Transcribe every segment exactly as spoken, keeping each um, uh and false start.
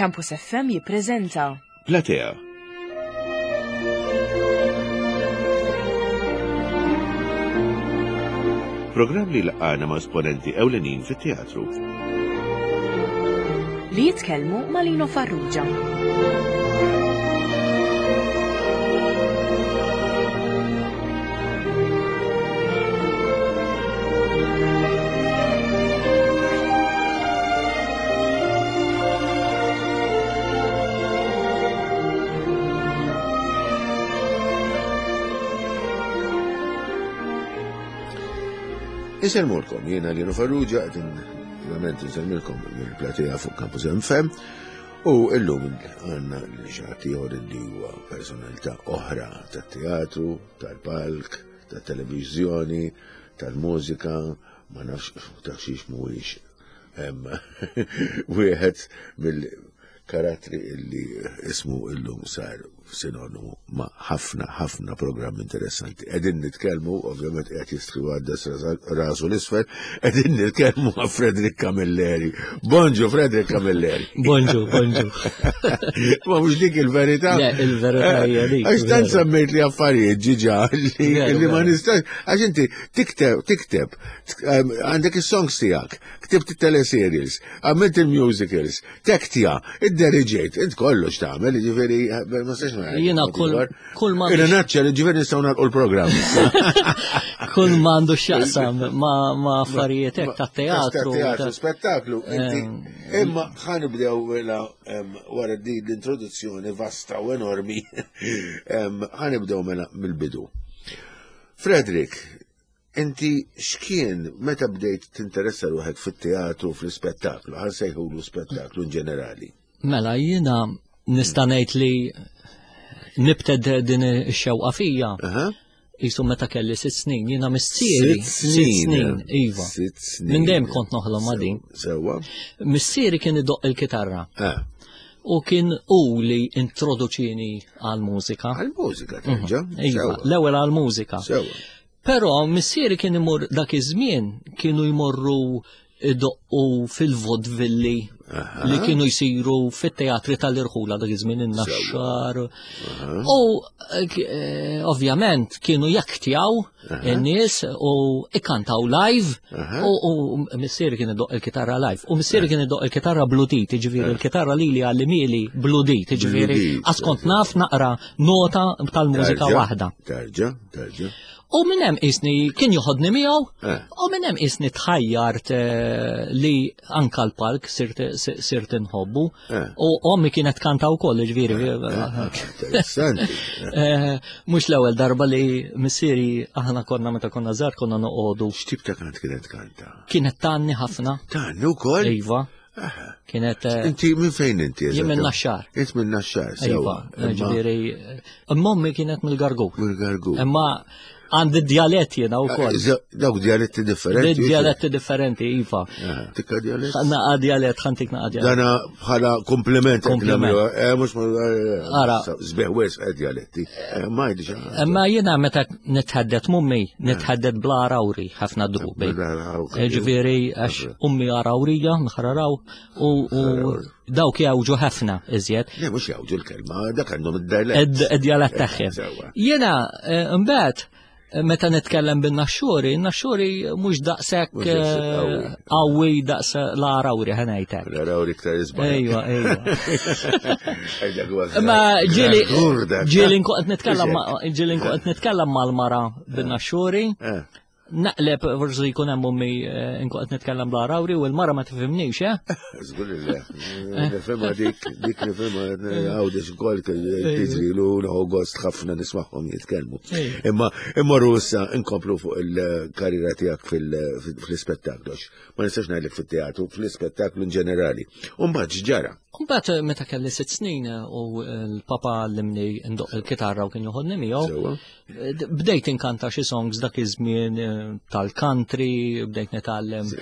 Campus F M jippreżenta Platea. Programm li laqana ma' esponenti ewlenin fit-teatru. Li jitkellmu ma' Lino Farrugia. Insellmulkom, jiena Lino Farrugia, qed ovvjament insellmilkom mill-platea fuq Campus F M u illum għandna l-ġati li huwa personalità oħra tat-teatru, tal-palk, tat-televiżjoni, tal-mużika, ma nafx ta' xiex mhuwiex wieħed mill-karattri illi ismu illum sar sinonimu ma' ħafna ħafna programmi interessanti. Qegħdin nitkellmu, ovvjament qed jistri għaddas rasu l-isfel, qegħdin nitkellmu ma' Frederick Camilleri. Bonġu, Frederick Camilleri. Bonġu, bonġu. Ma mhux dik il-verità? Le, il-verità hija dik. Għax tant semmejt li affarijiet ġiġa li ma nistax, għax inti tikteb, tikteb, għandek is-songs tiegħek, ktibt it-teleserials, għamilt il-musicals, tektja, id-deriġejt, int kollox tagħmel, jiġifieri ma nistax. Jiena kull kull ma Jiena naċċa li ġifieri nistgħu nagħlqu l-programm. Kull ma għandu x'jaqsam ma' affarijiet hekk tat-teatru. Teatru, spettaklu. Imma ħa nibdew mela wara din l-introduzzjoni vasta u enormi. Ħa nibdew mela mill-bidu. Frederick, inti x'kien meta bdejt tinteressa ruħek fit-teatru, fl-ispettaklu, ħa nsejħulu spettaklu in ġenerali? Mela jiena nista' ngħid li nibted din ix-xewqa fija. Jisu meta kelli sitt snin, jiena missieri. Sitt snin. Iva. Sitt snin. Minn dejjem kont noħlom ma' din. Sewwa. Missieri kien idoqq il-kitarra. U kien u li introduċini għal-mużika. Għal-mużika, terġa'? Iva, l-ewwel għal-mużika. Sewwa. Però missieri kien imur dak iż-żmien kienu jmorru idoqqu fil-vodvilli li kienu jsiru fit-teatri tal-irħula dak iż-żmien in-Naxxar. U eh, ovvjament kienu jaktjaw in-nies u ikkantaw live u missieri kien idoq il-kitarra live. U missieri kien idoq il-kitarra bludit, jiġifieri il-kitarra lili għallimhieli bludit, jiġifieri għax kont naf naqra nota tal-mużika waħda. Terġa', terġa'. U minn hemm isni kien joħodni miegħu, u minn hemm isni tħajjart li anka l-palk sirt inħobbu. U ommi kienet kanta wkoll, ġifieri. Interessanti. Mhux l-ewwel darba li missieri aħna konna meta konna żgħar konna noqogħdu. X'tip ta' kant kienet kanta? Kienet tgħanni ħafna. Tgħanni wkoll? Iva. Kienet. Inti minn fejn inti? Jien minn Naxxar. Int minn Naxxar, sewwa. Iva, ġifieri, imma ommi kienet mill-Gargur. Mill-Gargur. Imma għandi dialett jiena wkoll. Dawk dialetti differenti. Dialetti differenti, iva. Tikka dialett? Naqa dialett, ħa ntik naqa dialett. Dana bħala kompliment. Kompliment. Mhux Ara. Sbieħ wisq dialetti. Ma jidix. Imma jiena meta nitħaddet m'ommi, nitħaddet bla Għarawri ħafna drubi. Ġifieri għax ummi Għarawrija, nħararaw, u dawk jgħawġu ħafna iżjed. Le, mhux jgħawġu l-kelma, dak għandhom id-dialett. Id-dialett tagħhom. Jiena mbagħad meta nitkellem bin-Naxxuri, in-Naxxuri mhux daqshekk qawwi daqs l-Għarawri ħa ngħidlek. L-Għarawri iktar isbaħ. Ejwa, ejwa. Ma ġieli ġieli nkun qed nitkellem ġieli nkun qed nitkellem mal-mara bin-Naxxuri. Naqleb forsi jkun hemm ommi nkun qed nitkellem bl-Għarawri u l-mara ma tifhimnix, eh? Żgur li le. Nifhimha dik, dik nifhimha Għawdex ukoll tiġrilu nieħu gost ħafna nismagħhom jitkellmu. Imma immorru issa nkomplu fuq il-karriera tiegħek fil-ispettaklu. Ma nistax ngħidlek fit-teatru, fl-ispettaklu in ġenerali. U mbagħad x'ġara? Mbagħad meta kelli sitt snin u l-papa għallimni ndoq il-kitarra u kien joħodni miegħu. Bdejt inkanta xi songs dak iż-żmien tal-country, bdejt nitgħallem.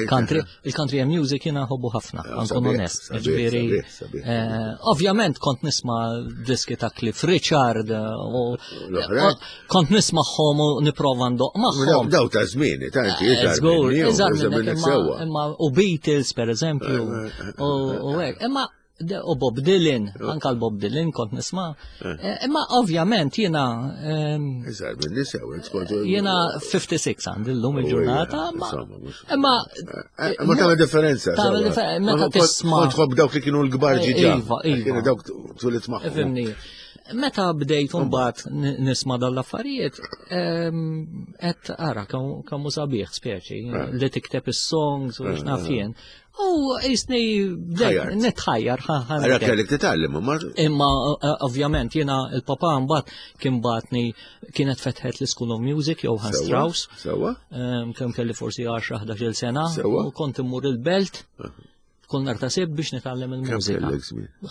Country, il-country music jiena nħobbu ħafna, nkun onest. Ġifieri, ovvjament kont nisma' diski ta' Cliff Richard u kont nismagħhom u nipprova ndoq magħhom. Daw ta' żmieni, ta' inti Żgur, imma u Beatles per eżempju, u hekk. Imma U Bob Dylan, anka l-Bob Dylan kont nisma'. Eh. Imma ovvjament jiena. Iżgħar minn nisa, Jiena ħamsa u ħamsin għandi llum il-ġurnata. Imma. Ma tagħmel differenza. Meta tisma'. Kont tħobb dawk li kienu l-kbar ġiġa. Iva, iva. Kienu dawk tulit magħhom. Fimni. Meta bdejt mbagħad nisma' dal-affarijiet, qed ara kemm hu sabiħ speċi li tikteb is-songs u x'naf jien. U jisni bdejt nitħajjar. Għara kellek titgħallem, ma. Imma ovvjament jiena il-papa mbagħad kien bagħatni, kienet fetħet l-School of Music Johann Strauss. Sewwa. Kemm kelli forsi għaxra ħdax-il sena. U kont immur il-belt kull nhar ta' Sibt biex nitgħallem il-mużika.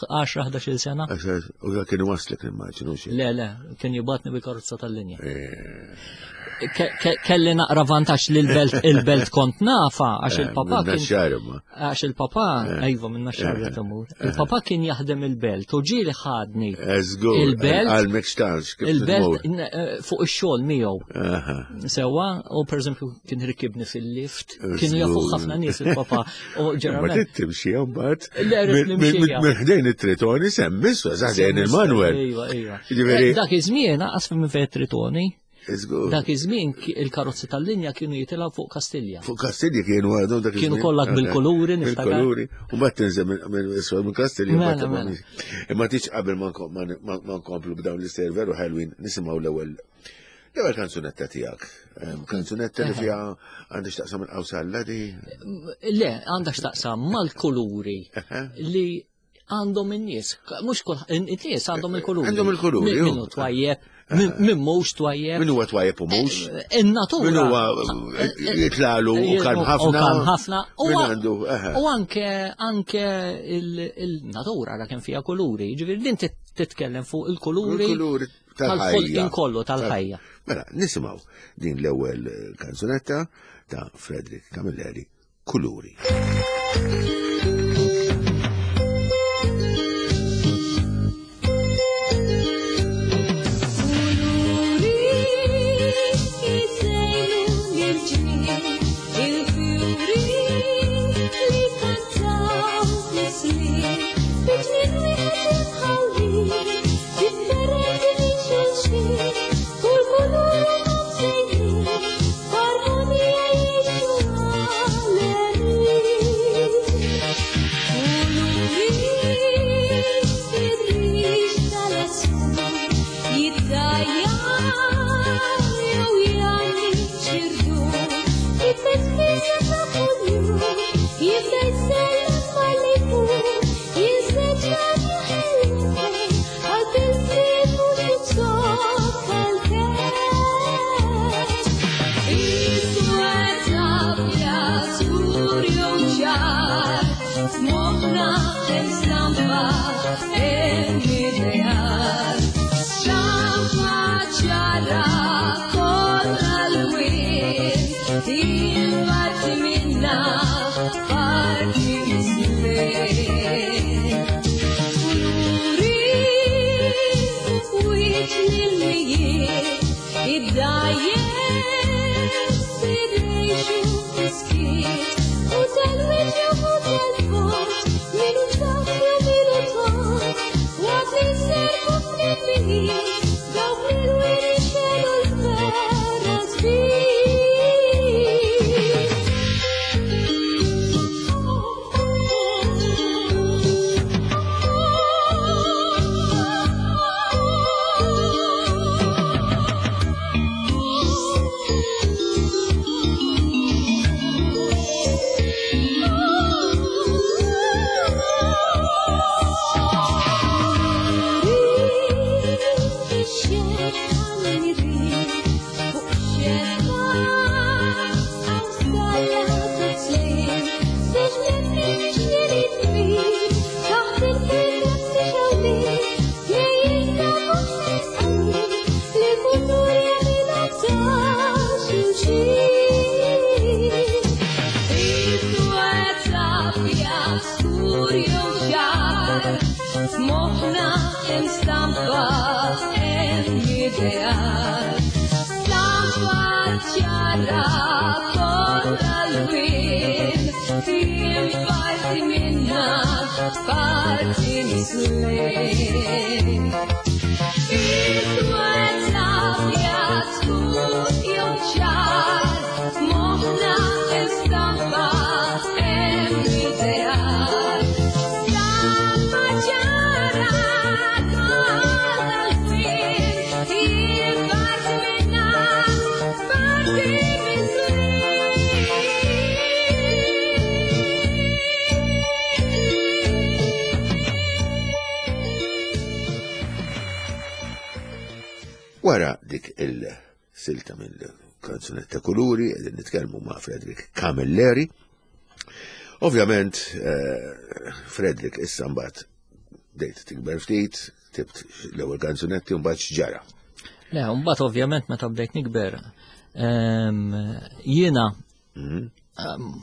għaxra ħdax-il sena. U dak kien waslek, nimmaġinu xi. Le, le, kien jibgħatni bil-karozza tal-linja. Kelli naqra vantaġġ li l-belt il-belt kont nafa għax il-papa kien għax il-papa, ejva, minn Naxxar imur. Il-papa kien jaħdem il-belt u ġieli ħadni il-belt il-belt fuq ix-xogħol miegħu. Sewwa, u pereżempju kien rikibni fil-lift, kienu jafu ħafna nies il-papa. U ġeneralment timxi mbagħad. Minn ħdejn it-Tritoni semmis, ħdejn il-Manuel. Iva, iva. Dak iż-żmien aqas minn fejn Tritoni. Dak iż-żmien il-karozzi tal-linja kienu jitilgħu fuq Kastilja. Fuq Kastilja kienu għadhom dak. Kienu kollha bil-kuluri, niftakar. Bil-kuluri. U mbagħad tinżel minn Kastilja. Mela, mela. Imma tiġ qabel ma nkomplu b'dawn l-istejjer veru ħelwin, nisimgħu l-ewwel L-ewwel kanzunetta tiegħek. Kanzunetta li fiha għandha x'taqsam il-qawsalla di? Le, għandha x'taqsam mal-kuluri li għandhom in-nies. Mhux kull in-nies għandhom il-kuluri. Għandhom il-kuluri. Minnu twajjeb, min mhux twajjeb. Min huwa twajjeb u mhux. In-natura. Min huwa jitlalu u kalm ħafna. U kalm ħafna. U anke anke il-natura ra kemm fiha kuluri. Ġifieri din titkellem fuq il-kuluri. Il-kuluri tal-ħajja. Kollu tal-ħajja. Mela, nisimgħu din l-ewwel kanzunetta ta' Frederick Camilleri, Kuluri. Oh. Wara dik il-silta mill-kanzunetta Kuluri, qegħdin nitkellmu ma' Frederick Camilleri. Ovvjament, eh, Frederick issa mbagħad bdejt tikber ftit, ktibt l-ewwel kanzunetti u mbagħad x'ġara. Le, mbagħad ovvjament meta bdejt nikber, ehm, jiena Mhm.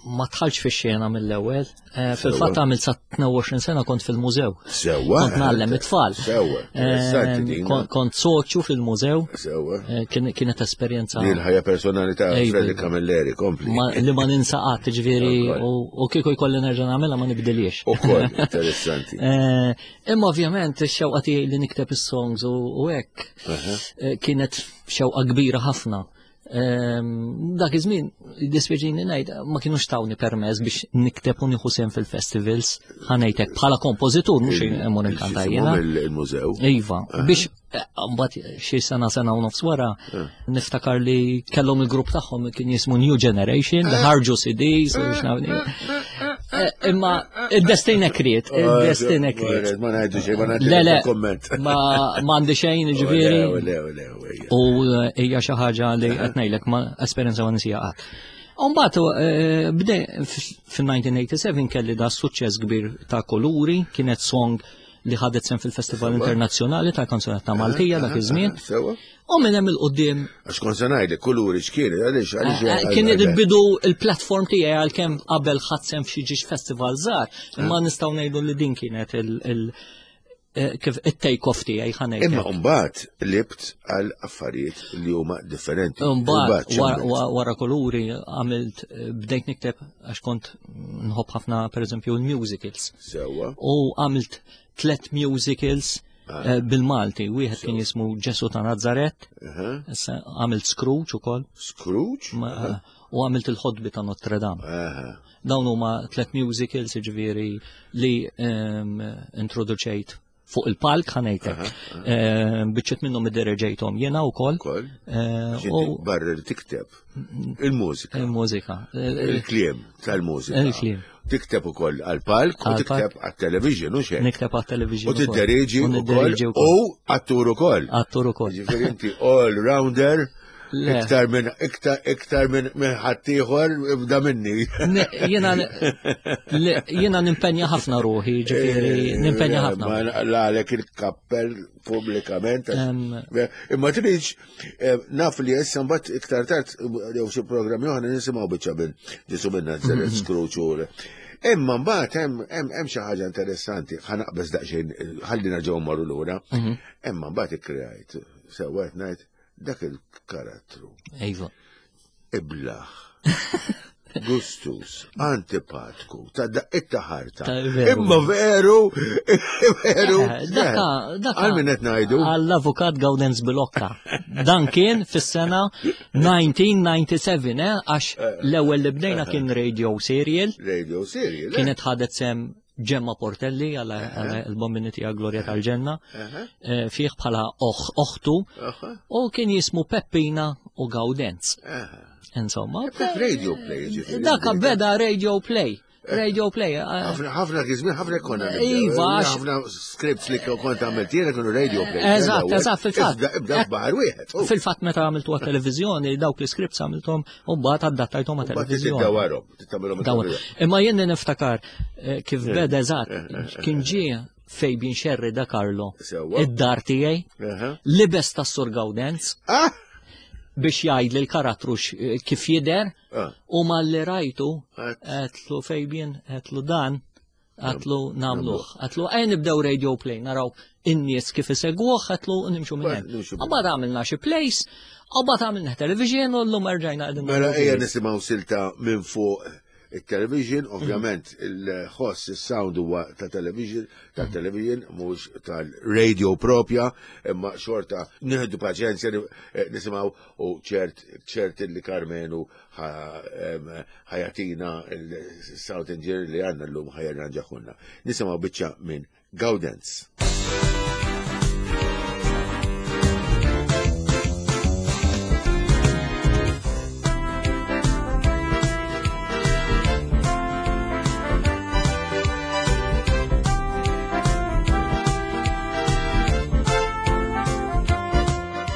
ma dħaltx fix-xena mill-ewwel. Eh, Fil-fatt għamilt sa tnejn u għoxrin sena kont fil-mużew. Sewwa. Kont ngħallem it-tfal. Sewwa, interessanti Ehm, din. kon- Kont soċju fil-mużew. Sewwa. Eh, kien- Kienet esperjenza Li l-ħajja personali ta' Ejwa. Frederick Camilleri, kompli. ma- li ma ninsa qatt, ġifieri, Ukoll. u u kieku jkolli nerġa' nagħmilha ma nibdiliex. Ukoll, interessanti. Eh, Imma ovvjament ix-xewqa tiegħi li nikteb is-songs u u hekk eh, kienet xewqa kbira ħafna. Ehm, Dak iż-żmien, dispjaċini ngħid, ma kienux tawni permess biex nikteb u nieħu sehem fil-festivals, ħa ngħidlek bħala kompożitur mhux immur inkanta jiena. Il-mużew. Iva, biex eh, mbagħad xi sena sena u nofs wara niftakar li kellhom il-grupp tagħhom kien jismu New Generation, li ħarġu C Ds u x'nafni. Eh, Imma id-destin hekk ried, id-destin hekk ried. Ma ngħidu xejn, ma ngħidu Le, le, komment. ma ma għandi xejn, ġifieri. Le, le, le, le. U eh, hija xi ħaġa li qed ngħidlek ma esperjenza ma ninsieha qatt. U mbagħad eh, bdej fil-elf disa' mija u sebgħa u tmenin kelli da suċċess kbir ta' Kuluri, kienet song li ħadet sehem fil-Festival Internazzjonali ta' Kanzunetta Maltija dak iż-żmien. Sewwa. U minn hemm 'il quddiem Għax kont se ngħidlek Kuluri x'kien, għaliex għaliex. eh, kien il-bidu il-platform tiegħi, għalkemm qabel ħadt sehem f'xi ġiex festival żgħar, imma nistgħu ngħidu li din kienet il- il- eh, kif it-take off tiegħi, ħa ngħidlek. Imma mbagħad qlibt għal affarijiet li huma differenti. Mbagħad x'għamilt? wara wara Kuluri għamilt eh, bdejt nikteb għax kont nħobb ħafna pereżempju l-musicals. Sewwa. U għamilt tlet musicals eh, bil-Malti. Wieħed kien jismu Ġesu ta' Nazaret, Aha. issa għamilt Scrooge ukoll, Scrooge? ma- u għamilt il-ħodbi ta' Notre Dame. Aha. Dawn huma tlet musicals, ġifieri, li ehm, introduċejt fuq il-palk, ħa ngħidlek. Ehm, Biċċiet minnhom iddereġejthom jiena wkoll. Ukoll. Eh, Għax inti U barra li tikteb il-mużika, il-mużika. Eh, il-kliem tal-mużika. Il-kliem. Tikteb ukoll għal-palk u Għal-palk. tikteb għal-television u xejn. Nikteb għat-television. U tiddereġi U ukoll niddereġi wkoll. u attur ukoll. Attur ukoll. Ġifieri inti all-rounder Le. iktar minn iktar iktar minn minn ħaddieħor ibda minni. Ne- Jiena le- jiena nimpenja ħafna ruħi, ġifieri nimpenja ħafna. Ma naqlagħlek il-kappell pubblikament. Em, Imma tridx eh, naf li issa mbagħad iktar tard jew xi programmi oħra nisimgħu biċċa minn Ġesu minn Nazaret, Scrooge u Imma mbagħad hemm hemm hemm xi ħaġa interessanti, ħa naqbeż daqsxejn, ħalli nerġgħu mmorru lura. Imma mbagħad ikkreajt sewwa qed ngħid dak il-karattru Iva. iblaħ, gustus, antipatku, ta' daqqiet ħarta. Ta' veru. Imma veru, veru. Eh, Daka, daka. Għal min qed ngħidu? Għall-avukat Gaudenz Bilocca. Dan kien fis-sena elf disa' mija u disgħa u sebgħin, eh, għax l-ewwel li bdejna kien radio serial, Radio serial. eh? kienet ħadet sehem Gemma Portelli għal il-bombini tiegħek Gloria tal-Ġenna, eh, fih bħala oħ oħtu, Aha, u kien jismu Peppina u Gaudenz. aha. Insomma, Radio play, ġifieri. Daka beda radio play. Radio play. eh, Ħafna ħafna kizmin, ħafna konna. Iva, għax- ħafna scripts li kont għamilt jiena kienu radio play. Eżatt, eżatt, fil-fatt. Ibda ibda f'baħar wieħed. Oh, Fil-fatt meta għamiltu għat-televizjoni, dawk l-scripts għamiltom u mbagħad adattajthom Mbagħad għat-televizjoni. tiddawarhom, titagħmilhom Dawar. Imma jien niftakar eh, kif beda eżatt, kien ġie Fabian Scerri de Carlo Sewwa. id-dar tiegħi, Aha. libes tas Sur Gaudenz Ah! biex jgħid li l-karattru x- kif jidher Ah. u malli rajtu Għat- għedtlu Fabian, għedtlu dan, għedtlu nagħmluh. Għedtlu ejja nibdew radio play, naraw in-nies kif isegwuh, għedtlu nimxu minn hemm. Nimxu minn Mbagħad għamilna xi plays, u mbagħad għamilna television u llum erġajna qegħdin Mela nagħmlu ejja plays. nisimgħu silta minn fuq il-television, ovvjament il-ħoss, il-sound huwa ta' television, ta' television, mhux tal-radio propja, imma xorta nieħdu paċenzja eh, nisimgħu u ċert ċert li Karmenu ħa jagħtina il-sound engineer li għandna llum ħa jirranġahulna. Nisimgħu biċċa minn Gaudenz.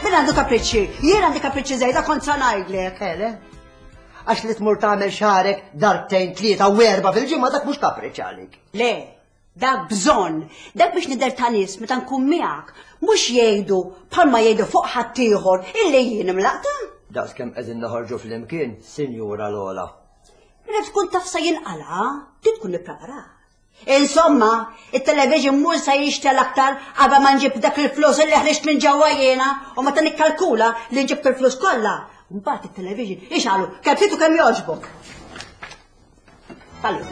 Mela għandu kapriċċi? Jien għandi kapriċċi żejda kont sa ngħidlek. Ele? Għax li tmur tagħmel xarek darbtejn tlieta u erba' fil-ġimgħa dak mhux kapriċċ għalik. Le, dak bżonn, dak biex nidher ta' nies meta nkun miegħek, mhux jgħidu bħalma jgħidu fuq ħaddieħor illi jien imlaqta. Daqs kemm qegħdin noħorġu flimkien, Sinjura Lola. Mela tkun taf sa jinqala, trid tkun ippreparat. Insomma, it-television mhux se jixtel aktar qabel ma nġib dak il-flus li ħriġt minn ġewwa jiena u meta nikkalkula li nġibt il-flus kollha. Mbagħad it-television ixalu kemm trid u kemm jogħġbok. Allu.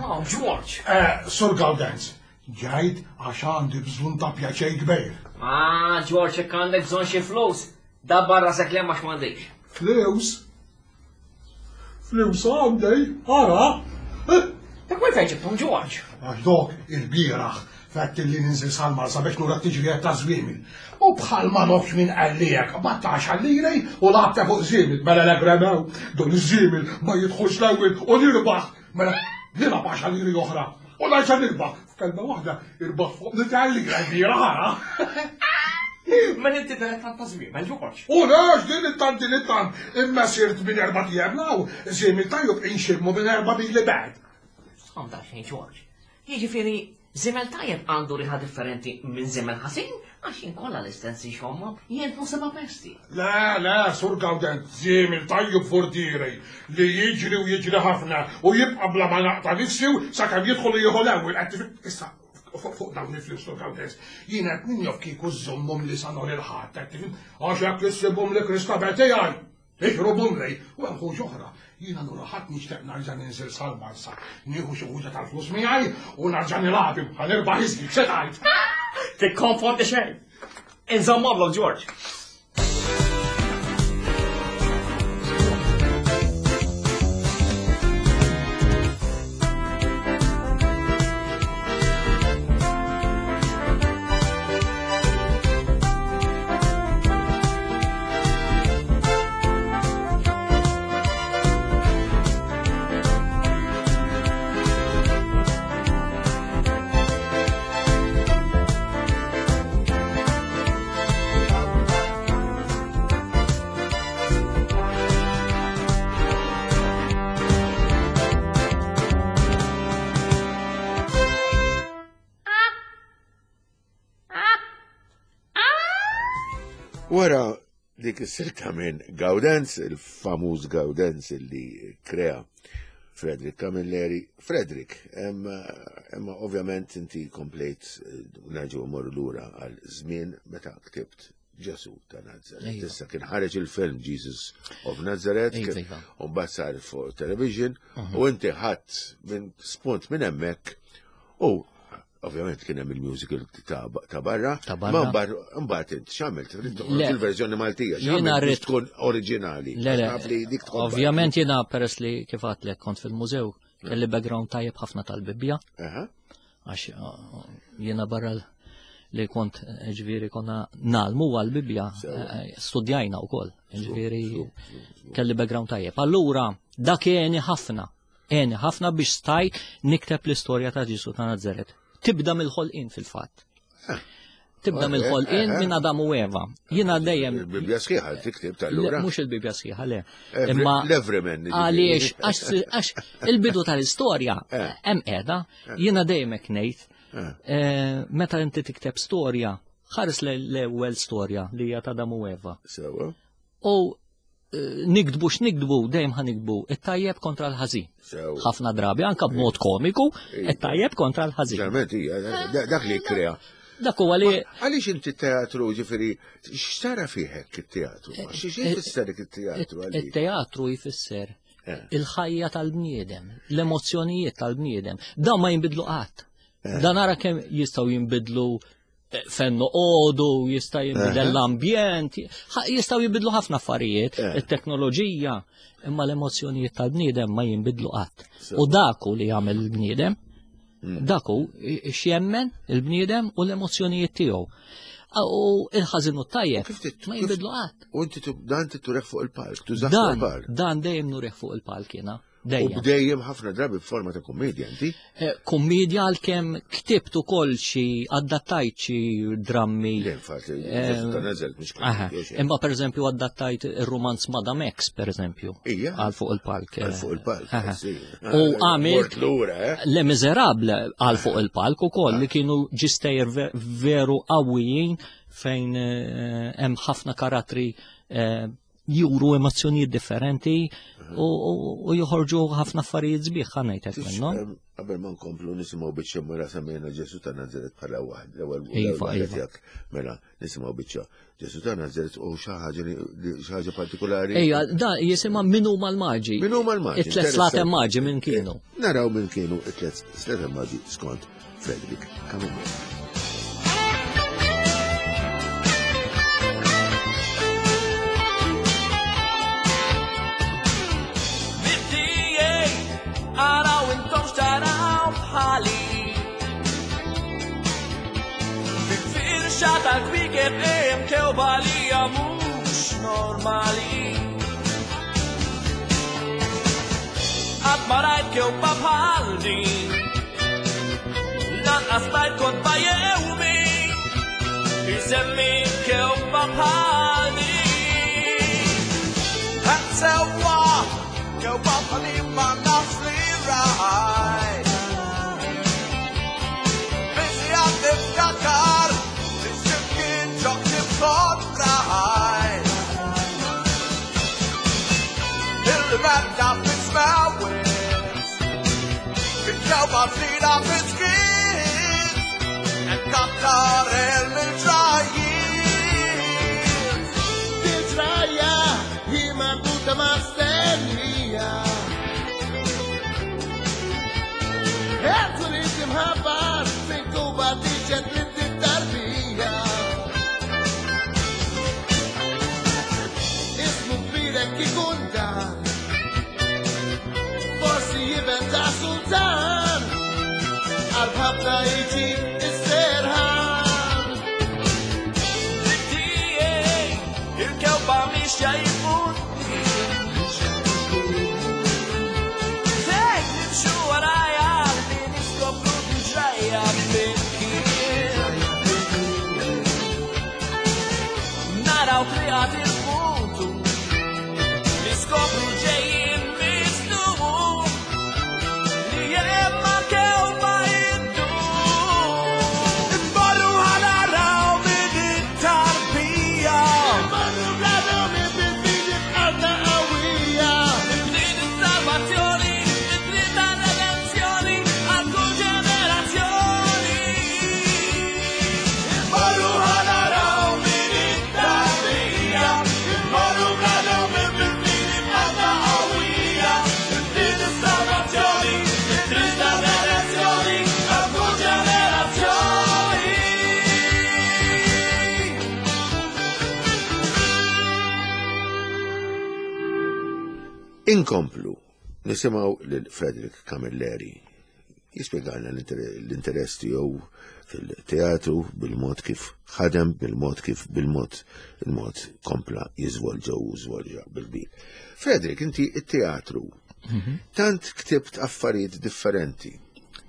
Oh, George. Eh, Sur Gaudenz, ġajt għax għandi bżonn ta' pjaċej kbir. Ah, George, jekk għandek bżonn xi flus, dabbar rasek le ma x'm'għandix. Flus? Flus għandi, ara. Dak minn fejn ġibthom, George? Għax dok il-bieraħ fett li ninżil sal-Marsa biex nura t-tiġrijiet ta' żwiemel. U bħal ma nofx minn qallijek, battax għallilej u labta fuq żiemel, mela l-egremew, dun iż-żiemel ma jidħolx l-ewwel u nirbaħ, mela nilgħab għaxar liri oħra. U nerġa' nirbaħ, f'kelma waħda irbaħ fuq nitgħallira l-bieraħ ara. Mela inti dilettant ta' żwiemel, George. U lex din it-tant din it-tant, imma sirt minn erba' tijiem law, żiemel tajjeb inximmu minn erba' mili bad. Għandha xejn, George. Jiġifieri, żiemel tajjeb għandu riħa differenti minn żiemel ħażin, għax jien kollha l-istess inxommhom, jien seba' pesti. Le, le, Sur Gawdent, żiemel tajjeb furtieri li jiġri u jiġri ħafna u jibqa' bla ma naqta' nifsi sakemm jidħol u jieħu l-ewwel. Qed tifhem? Issa, fuq dawn il-flus, Sur Gawdent, jien qed ninjof kieku żżommhom li sa nhar il-Ħadd, qed tifhem? Għax hekk issibhom li Kristabel tiegħi. Iħrobhom lej, u hemm ħuġ oħra. Jiena nhar ħadd nixtieq nerġa' ninżil sal-Marsa, nieħu xi ħuġa tal-flus miegħi u nerġa' nilgħab ħa nirbaħ iżjed, x'se tgħid? Tikkonfondi xejn. Inżommhomlok, George. Wara dik is-silta minn Gaudenz, il-famuż Gaudenz li krea Frederick Camilleri. Frederick, imma ovvjament inti komplejt nerġgħu mmorru lura għal żmien meta ktibt Ġesu ta' Nazaret. Issa kien ħareġ il-film Jesus of Nazareth, u mbagħad sar fuq television, u inti ħadd minn spunt minn hemmhekk u ovvjament kien hemm il-musical ta' barra, ma mbagħad int x'għamilt? Il-verżjoni Maltija, x'għamilt tkun oriġinali. Le, le, ovvjament jiena peress li kif għedtlek kont fil-mużew, kelli background tajjeb ħafna tal-Bibbja. Għax jiena barra li kont ġifieri konna nagħlmu għall-Bibbja, studjajna wkoll, ġifieri kelli background tajjeb. Allura dak għeni ħafna, għeni ħafna biex stajt nikteb l-istorja ta' Ġesu ta' Nazaret. Tibda mill-ħolqien fil-fatt. Tibda mill-ħolqien minn Adam u Eva. Jiena dejjem. Il-Bibbja sħiħa tiktib tal-lura. Mhux il-Bibbja sħiħa, le. Imma l-Everyman. Għaliex, għax il-bidu tal-istorja hemm qiegħda, jiena dejjem hekk ngħid. Meta inti tikteb storja, ħares l-ewwel storja li hija ta' Adam u Eva. Sewa. U nikdbu x'nikdbu, dejjem ħa nikdbu it-tajjeb kontra l-ħażin. Ħafna drabi anke b'mod komiku, it-tajjeb kontra l-ħażin. Ġerment hija dak li kkrea. Dak huwa li għaliex inti teatru ġifieri x'tara fih hekk it-teatru? Xi jfisser it-teatru għalik? It-teatru jfisser il-ħajja tal-bniedem, l-emozzjonijiet tal-bniedem. Dan ma jinbidlu qatt. Dan ara kemm jistgħu jinbidlu fejn noqogħdu, jista' jinbidel l-ambjent, jistgħu jinbidlu ħafna affarijiet, it-teknoloġija, imma l-emozzjonijiet tal-bniedem ma jinbidlu qatt. U dak hu li jagħmel il-bniedem, dak hu x'jemmen il-bniedem u l-emozzjonijiet tiegħu. U il-ħażin u t-tajjeb ma jinbidlu qatt. U inti dan inti turih fuq il-palk, tużah fuq il-palk. Dan dejjem nurih fuq il-palk jiena. U Dejjem. bdejjem ħafna drabi b'forma ta' kummedja, inti? Eh, Kummedja għalkemm ktibt ukoll xi adattajt xi drammi. Le, infatti, Ġesu ta' Nazaret mhux Aha. kummedja xejn. Imma per eżempju adattajt ir-romanz Madame X, per eżempju. Ija. Għal fuq il-palk. Għal fuq il-palk, Aha. sì. U għamilt Mort lura, eh? Le Miserable għal fuq il-palk ukoll li kienu ġistejjer ve- veru qawwijin fejn eh, hemm ħafna karattri eh, juru emozzjonijiet differenti u, u, u joħorġu ħafna affarijiet sbieħ ħa ngħidlek minnhom. Em, Qabel ma nkomplu nisimgħu biċċa mela semmejna Ġesu ta' Nazaret bħala waħd, l-ewwel Iva, l-ewwel waħda iva. tiegħek. Mela nisimgħu biċċa Ġesu ta' Nazaret u xi ħaġa li li- xi ħaġa partikolari. Ejja, da jisimha min huma l-maġi. Min huma l-maġi? It-tlet slatem maġi minn kienu. Naraw minn kienu it-tlet slatem maġi skont Frederick Camilleri. Bidijej, araw intom xtaraw bħali. Fil-firxa tal-kwiekeb hemm kewba li hija mhux normali. Qatt ma rajt kewba bħal din, lanqas rajt kotba jew min isemmi kewba bħal din. Sewwa, jew bħali ma nafx li rajt. Busy għad niftakar li x'imkien ġo ktieb kont rajt. Il-merda fis-smewwiet, il-kewba tlila fis-skiet, qed kattar il-ġrajiet. Tiġraja hi marbuta ma' stennija. Għazzu li timħabbar minn Kuba tiġet li tarbija. Ismu kbirek ikun dan, forsi jiventa sultan, għal-ħabta iġib is-serħan. Tiegħi, il-kewba mixja jkun. Fejn nimxu warajja li niskopru ġrajja flimkien. Naraw triqat il-futur, niskopru ġejjin mistur li hemm mal-kewba iddur. Imorru ħanaraw min it-tarbija. Marru bladu minn bil-fidi b'qalbna qawwija. Trid is-salvazzjoni, trid redenzjoni għal kull ġenerazzjoni. Imorru ħanaraw min it-tarbija. Imorru bladu minn bil-fidi b'qalbna qawwija. Trid is-salvazzjoni, trid redenzjoni għal kull ġenerazzjoni. Inkomplu nisimgħu lil Frederick Camilleri jispjegalna l-inter- l-interess tiegħu fil-teatru bil-mod kif ħadem, bil-mod kif bil-mod il-mod kompla jiżvolġa u żvolġa bil-kbir. Frederick, inti it-teatru tant ktibt affarijiet differenti.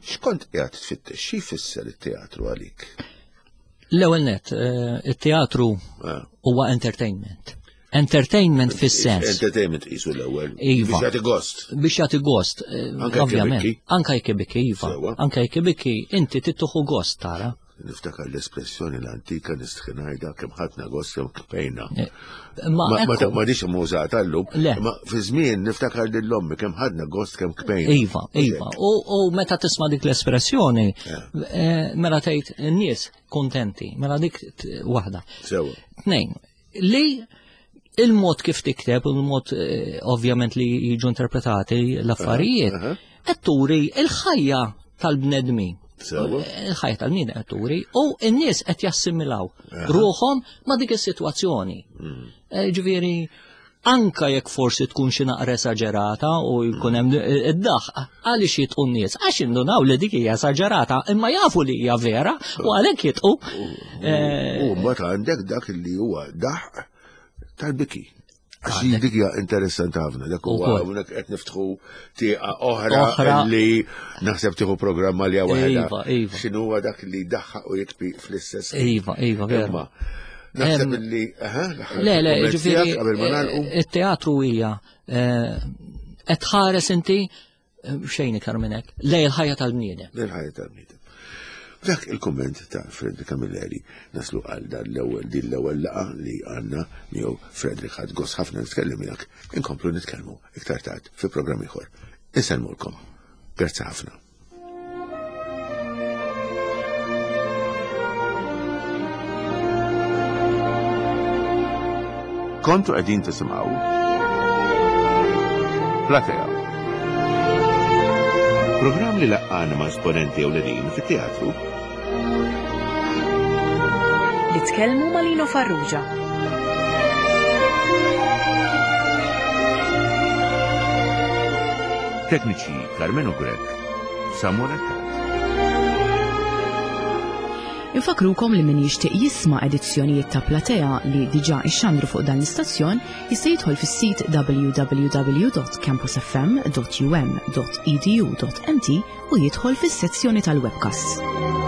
X'kont qiegħed tfittex? Xi jfisser it-teatru għalik? L-ewwel net, eh, it-teatru Ah. huwa entertainment. Entertainment fis-sens. Entertainment qisu l-ewwel. Iva. Biex jagħti gost. Biex jagħti gost, eh, Anke jekk ovvjament. ibikki. Anka jekk ibikki, iva. Sewwa. Anka jekk ibikki, inti tittuħu gost tara. Niftakar l-espressjoni l-antika nistħinajda kemm ħadna gost kemm kpejna. Eh, Ma Ma ma ekku, ma dix mużata llum. Le. Ma fi żmien niftakar lil ommi kemm ħadna gost kemm kpejna. Iva, iva. U, u meta tisma' dik l-espressjoni, eh, mela tgħid n-nies kontenti, mela dik t- waħda. Sewa. Tnejn, li il-mod kif tikteb u l-mod eh, ovvjament li jiġu interpretati l-affarijiet, Aha, qed turi il-ħajja tal-bnedmin. Sewa. Il-ħajja tal-bniedem qed turi u n-nies qed jassimilaw ruħhom ma' dik is-sitwazzjoni. Mm. Eh, Ġifieri anka jekk forsi tkun xi naqra esaġerata u jkun hemm id-daħ għaliex jitqu n-nies għax indunaw li dik hija esaġerata imma jafu li hija vera u għalhekk jitqu. Eh, U mbagħad għandek dak li huwa daħq tal-biki. Għax dik hija interessanti ħafna, dak huwa Ukoll. hawnhekk qed niftħu tieqa oħra Oħra. li naħseb tieħu programma li waħedha. Iva, iva. X'inhuwa dak li daħħaq u jikbi fl-istess. ħin. Iva, iva, vera. Imma naħseb Em, li aha, l-aħħar Le, le, kumment ġifieri, tiegħek qabel ma nagħlqu. eh, il-teatru hija eh, qed tħares inti eh, xejn iktar minn hekk, lej il-ħajja tal-bniedem. Lil-ħajja tal-bniedem. Dak il-komment ta' Frederick Camilleri naslu għal dan l-ewwel din l-ewwel laqa li għandna miegħu Frederick ħadd gost ħafna nitkellem miegħek. Inkomplu nitkellmu iktar tard fi programm ieħor. Insellmulkom. Grazzi ħafna. Kontu qegħdin tisimgħu Platea. Programm li laqqana ma' esponenti ewlenin fit-teatru Li tkellmu ma' Lino Farrugia. Tekniċi Carmenu Grek, Samuel Attat. Infakrukom li min jixtieq jisma' edizzjonijiet ta' Platea li diġà ixxandru fuq dan l-istazzjon jista' jidħol fis-sit w w w dot campusfm dot u m dot e d u dot m t u jidħol fis-sezzjoni tal-webcasts.